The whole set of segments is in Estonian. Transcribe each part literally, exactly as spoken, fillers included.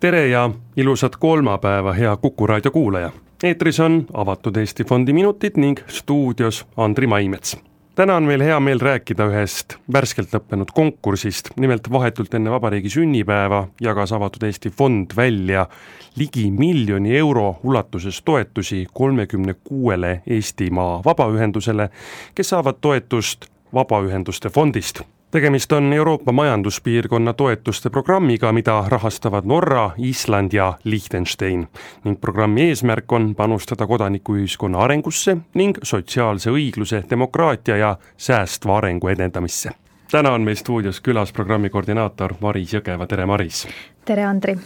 Tere ja ilusat kolmapäeva, hea Kuku raadio kuulaja. Eetris on Avatud Eesti Fondi minutid ning stuudios Andri Maimets. Täna on meil hea meel rääkida ühest värskelt lõppenud konkursist. Nimelt vahetult enne vabariigi sünnipäeva jagas Avatud Eesti Fond välja ligi miljoni euro ulatuses toetusi kolmekümne kuuele Eestimaa vabaühendusele, kes saavad toetust Vabaühenduste Fondist. Tegemist on Euroopa majanduspiirkonna toetuste programmiga, mida rahastavad Norra, Island ja Liechtenstein. Ning programmi eesmärk on panustada kodanikuühiskonna arengusse ning sotsiaalse õigluse, demokraatia ja säästva arengu edendamisse. Täna on meil stuudios külas programmi koordinaator Maris Jõgeva. Tere, Maris! Tere, Andri!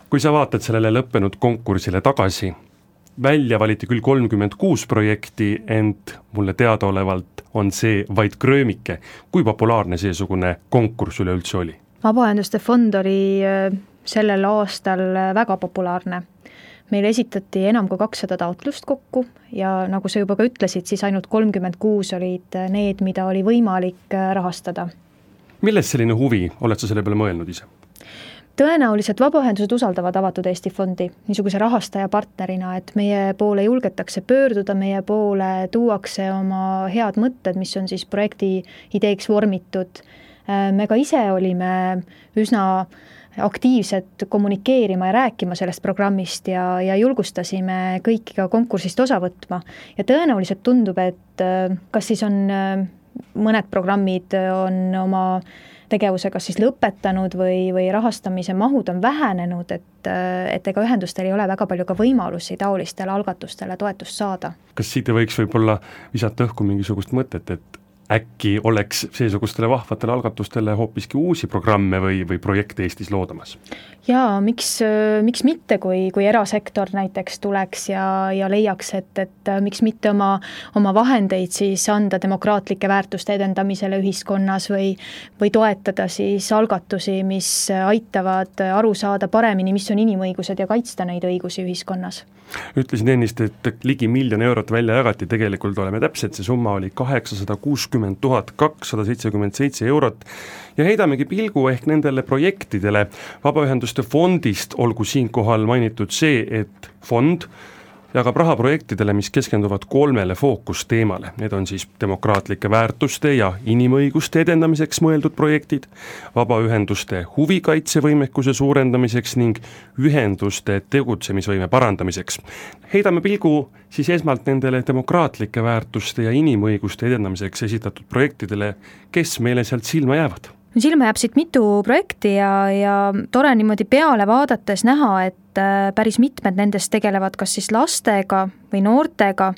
Kui sa vaatad sellele lõppenud konkursile tagasi, välja valiti küll kolmkümmend kuus projekti, ent mulle teadaolevalt on see vaid kröömike. Kui populaarne seesugune konkurss üleüldse oli? Vabaühenduste Fond oli sellel aastal väga populaarne. Meil esitati enam kui kakssada taotlust kokku ja nagu sa juba ka ütlesid, siis ainult kolmkümmend kuus olid need, mida oli võimalik rahastada. Milles selline huvi? Oled sa selle peale mõelnud ise? Tõenäoliselt vabaühendused usaldavad Avatud Eesti Fondi niisuguse rahastaja partnerina, et meie poole julgetakse pöörduda, meie poole tuuakse oma head mõtted, mis on siis projekti ideeks vormitud. Me ka ise olime üsna aktiivselt kommunikeerima ja rääkima sellest programmist ja, ja julgustasime kõiki ka konkursist osa võtma. Ja tõenäoliselt tundub, et kas siis on mõned programmid on oma tegevuse kas siis lõpetanud või, või rahastamise mahud on vähenenud, et, et ega ühendustel ei ole väga palju ka võimalusi taolistele algatustele toetust saada. Kas siit võiks võib-olla visata õhku mingisugust mõtet, et äkki oleks seesugustele vahvatele algatustele hoopiski uusi programme või, või projekte Eestis loodamas? Jaa, miks, miks mitte, kui, kui erasektor näiteks tuleks ja, ja leiaks, et, et miks mitte oma, oma vahendeid siis anda demokraatlike väärtuste edendamisele ühiskonnas või, või toetada siis algatusi, mis aitavad aru saada paremini, mis on inimõigused ja kaitsta neid õigusi ühiskonnas. Ütlesin ennist, et ligi miljon eurot välja jagati, tegelikult oleme täpselt, see summa oli kaheksasada kuuskümmend tuhat kakssada seitsekümmend seitse eurot ja heidamegi pilgu ehk nendele projektidele. Vabaühenduste Fondist olgu siinkohal mainitud see, et fond jagab raha projektidele, mis keskenduvad kolmele fookusteemale. Need on siis demokraatlike väärtuste ja inimõiguste edendamiseks mõeldud projektid, vabaühenduste huvikaitsevõimekuse suurendamiseks ning ühenduste tegutsemisvõime parandamiseks. Heidame pilgu siis esmalt nendele demokraatlike väärtuste ja inimõiguste edendamiseks esitatud projektidele, kes meile sealt silma jäävad. Silma jääb siit mitu projekti ja, ja tore niimoodi peale vaadates näha, et päris mitmed nendest tegelevad kas siis lastega või noortega,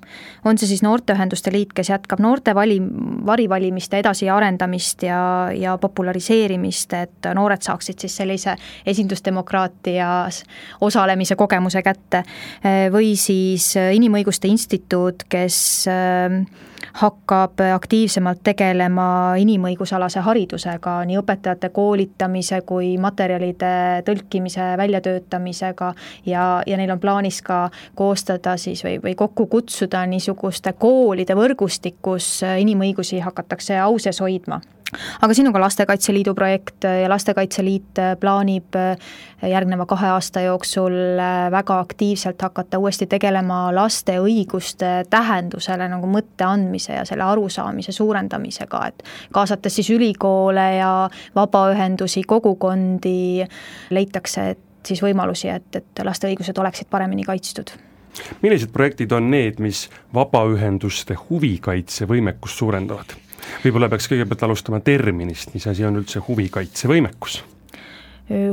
on see siis Noorteühenduste Liit, kes jätkab noorte vali, varivalimiste edasi arendamist ja, ja populariseerimist, et noored saaksid siis sellise esindusdemokraatias osalemise kogemuse kätte, või siis Inimõiguste Instituut, kes hakkab aktiivsemalt tegelema inimõigusalase haridusega, nii õpetajate koolitamise kui materjalide tõlkimise väljatöötamisega ja, ja neil on plaanis ka koostada siis või, või kokku kutsuda niisuguste koolide võrgustik, kus inimõigusi hakatakse au sees hoidma. Aga siin on ka Lastekaitse Liidu projekt ja Lastekaitse Liit plaanib järgneva kahe aasta jooksul väga aktiivselt hakata uuesti tegelema laste õiguste tähendusele nagu mõtte andmise ja selle arusaamise suurendamisega, et kaasates siis ülikoole ja vabaühendusi, kogukondi leitakse et siis võimalusi, et, et laste õigused oleksid paremini kaitstud. Millised projektid on need, mis vabaühenduste huvikaitsevõimekust suurendavad? Võib-olla peaks kõigepealt alustama terminist, mis asi on üldse huvikaitsevõimekus?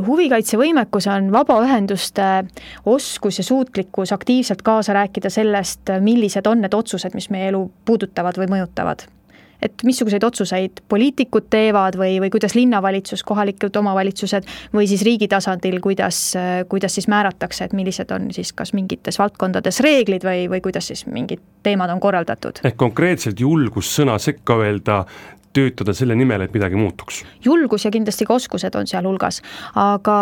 Huvikaitsevõimekus on vabaühenduste oskus ja suutlikkus aktiivselt kaasa rääkida sellest, millised on need otsused, mis meie elu puudutavad või mõjutavad. Et missuguseid otsuseid poliitikud teevad või, või kuidas linnavalitsus, kohalikud omavalitsused või siis riigi tasandil, kuidas, kuidas siis määratakse, et millised on siis kas mingites valdkondades reeglid või, või kuidas siis mingid teemad on korraldatud. Ehk konkreetselt julgus sõna sekka öelda töötada selle nimel, et midagi muutuks? Julgus ja kindlasti ka oskused on seal hulgas, aga,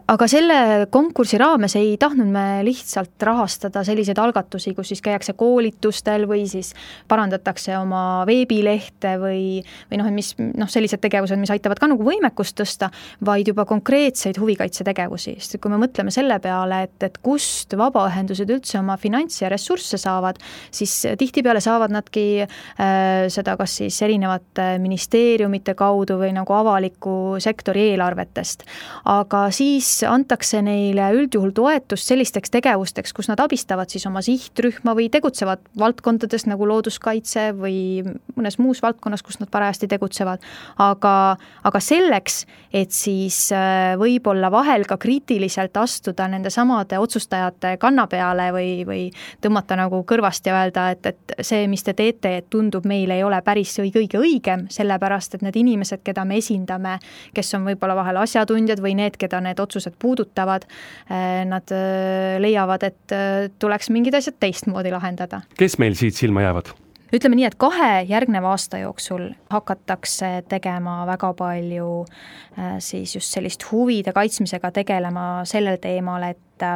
aga selle konkursi raames ei tahtnud me lihtsalt rahastada selliseid algatusi, kus siis käiakse koolitustel või siis parandatakse oma veebilehte või, või noh, mis, noh, sellised tegevused, mis aitavad ka nagu võimekust tõsta, vaid juba konkreetseid huvikaitsetegevusi. Sest kui me mõtleme selle peale, et, et kust vabaühendused üldse oma finantsi ja ressursse saavad, siis tihtipeale saavad nadki äh, seda kas siis erinevate ministeeriumite kaudu või nagu avaliku sektori eelarvetest. Aga siis antakse neile üldjuhul toetust sellisteks tegevusteks, kus nad abistavad siis oma sihtrühma või tegutsevad valdkondades nagu looduskaitse või mõnes muus valdkonnas, kus nad parajasti tegutsevad. Aga, aga selleks, et siis võib-olla vahel ka kriitiliselt astuda nende samade otsustajate kanna peale või, või tõmmata nagu kõrvast ja öelda, et, et see, mis te teete, et tundub meil ei ole päris kõige õigem, sellepärast, et need inimesed, keda me esindame, kes on võib-olla vahel asjatundjad või need, keda need otsused puudutavad, nad leiavad, et tuleks mingid asjad teistmoodi lahendada. Kes meil siit silma jäävad? Ütleme nii, et kahe järgneva aasta jooksul hakatakse tegema väga palju siis just sellist huvide kaitsmisega tegelema sellel teemal, et,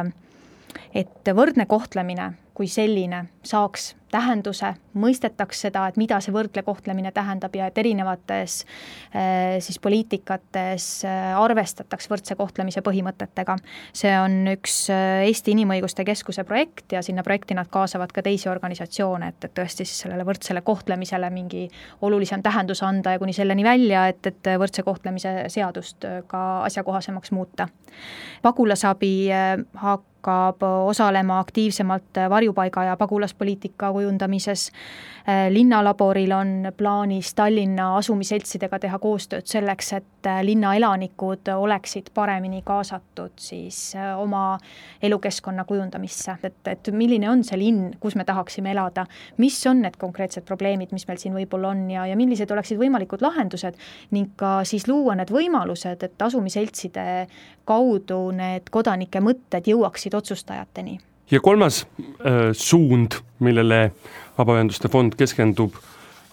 et võrdne kohtlemine kui selline saaks tähenduse, mõistetaks seda, et mida see võrdle kohtlemine tähendab ja et erinevates siis poliitikates arvestataks võrdse kohtlemise põhimõtetega. See on üks Eesti Inimõiguste Keskuse projekt ja sinna projekti nad kaasavad ka teisi organisatsioone, et, et tõesti siis sellele võrdsele kohtlemisele mingi olulisem tähendus anda ja kuni selleni välja, et, et võrdse kohtlemise seadust ka asjakohasemaks muuta. Pagulasabi hakkab osalema aktiivsemalt varjupaiga ja pagulaspoliitika kujundamises. Linnalaboril on plaanis Tallinna asumiseltsidega teha koostööd selleks, et linna elanikud oleksid paremini kaasatud siis oma elukeskkonna kujundamisse. Et, et milline on see linn, kus me tahaksime elada, mis on need konkreetsed probleemid, mis meil siin võib-olla on ja, ja millised oleksid võimalikud lahendused ning ka siis luua need võimalused, et asumiseltside kaudu need kodanike mõtted jõuaksid otsustajateni. Ja kolmas äh, suund, millele Vabaühenduste Fond keskendub,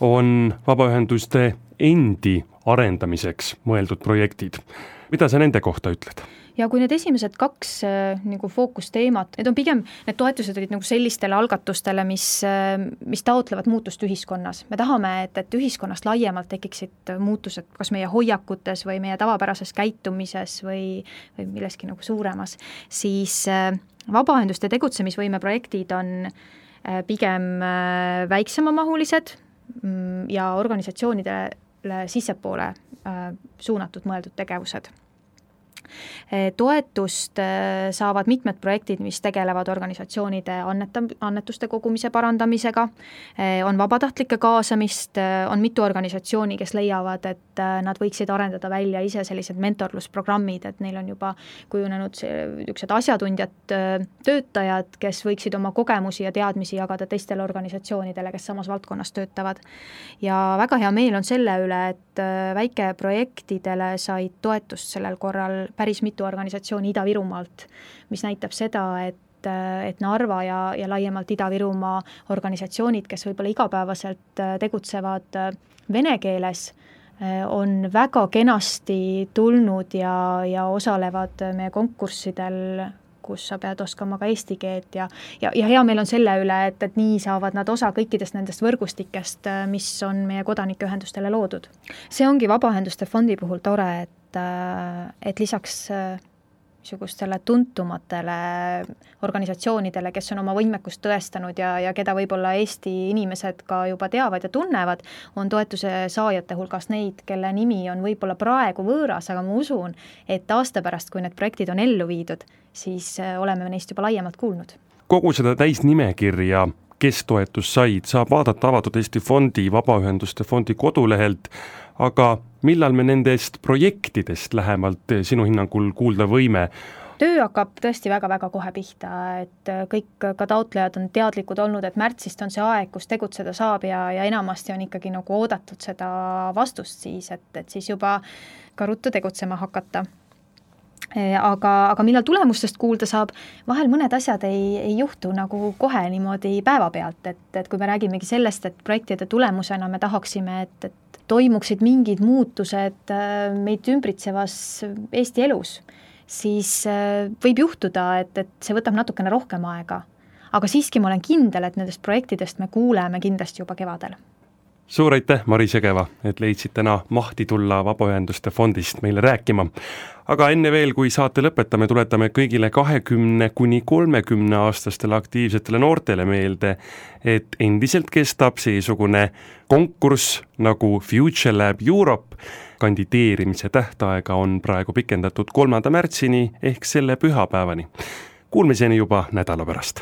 on vabaühenduste endi arendamiseks mõeldud projektid. Mida sa nende kohta ütled? Ja kui need esimesed kaks äh, nagu fookusteemat, need on pigem, need toetused olid nagu sellistele algatustele, mis, äh, mis taotlevad muutust ühiskonnas. Me tahame, et, et ühiskonnast laiemalt tekiksid muutused kas meie hoiakutes või meie tavapärases käitumises või, või milleski nagu suuremas. Siis äh, vabaühenduste tegutsemisvõime projektid on äh, pigem äh, väiksemamahulised mm, ja organisatsioonidele sissepoole äh, suunatud mõeldud tegevused. Toetust saavad mitmed projektid, mis tegelevad organisatsioonide anneta, annetuste kogumise parandamisega, on vabatahtlike kaasamist, on mitu organisatsiooni, kes leiavad, et nad võiksid arendada välja ise sellised mentorlusprogrammid, et neil on juba kujunenud üksed asjatundjad töötajad, kes võiksid oma kogemusi ja teadmisi jagada teistele organisatsioonidele, kes samas valdkonnas töötavad. Ja väga hea meel on selle üle, et väikeprojektidele said toetust sellel korral päris mitu organisatsiooni Ida-Virumaalt, mis näitab seda, et, et Narva ja, ja laiemalt Ida-Virumaa organisatsioonid, kes võib-olla igapäevaselt tegutsevad vene keeles, on väga kenasti tulnud ja, ja osalevad meie konkurssidel, kus sa pead oskama ka eesti keelt ja, ja, ja hea meil on selle üle, et, et nii saavad nad osa kõikidest nendest võrgustikest, mis on meie kodanikeühendustele loodud. See ongi Vabaühenduste Fondi puhul tore, et et lisaks niisugustele tuntumatele organisatsioonidele, kes on oma võimekust tõestanud ja, ja keda võib-olla Eesti inimesed ka juba teavad ja tunnevad, on toetuse saajate hulgas neid, kelle nimi on võib-olla praegu võõras, aga ma usun, et aasta pärast, kui need projektid on ellu viidud, siis oleme neist juba laiemalt kuulnud. Kogu seda täisnimekirja, kes toetus said, saab vaadata Avatud Eesti Fondi, Vabaühenduste Fondi kodulehelt, aga millal me nendest projektidest lähemalt sinu hinnangul kuulda võime? Töö hakkab tõesti väga-väga kohe pihta, et kõik ka taotlejad on teadlikud olnud, et märtsist on see aeg, kus tegutseda saab ja, ja enamasti on ikkagi nagu oodatud seda vastust siis, et, et siis juba ka ruttu tegutsema hakata. Aga, aga millal tulemustest kuulda saab, vahel mõned asjad ei, ei juhtu nagu kohe niimoodi päeva pealt, et, et kui me räägimegi sellest, et projektide tulemusena me tahaksime, et, et toimuksid mingid muutused meid ümbritsevas Eesti elus, siis võib juhtuda, et, et see võtab natukene rohkem aega. Aga siiski ma olen kindel, et nendest projektidest me kuuleme kindlasti juba kevadel. Suur aitäh, Mari Segeva, et leidsid täna mahti tulla Vabaühenduste fondist meile rääkima. Aga enne veel, kui saate lõpetame, tuletame kõigile kahekümne kuni kolmekümne aastastele aktiivsetele noortele meelde, et endiselt kestab seesugune konkurss nagu Future Lab Europe. Kandideerimise tähtaega on praegu pikendatud kolmanda märtsini ehk selle pühapäevani. Kuulmiseni juba nädala pärast.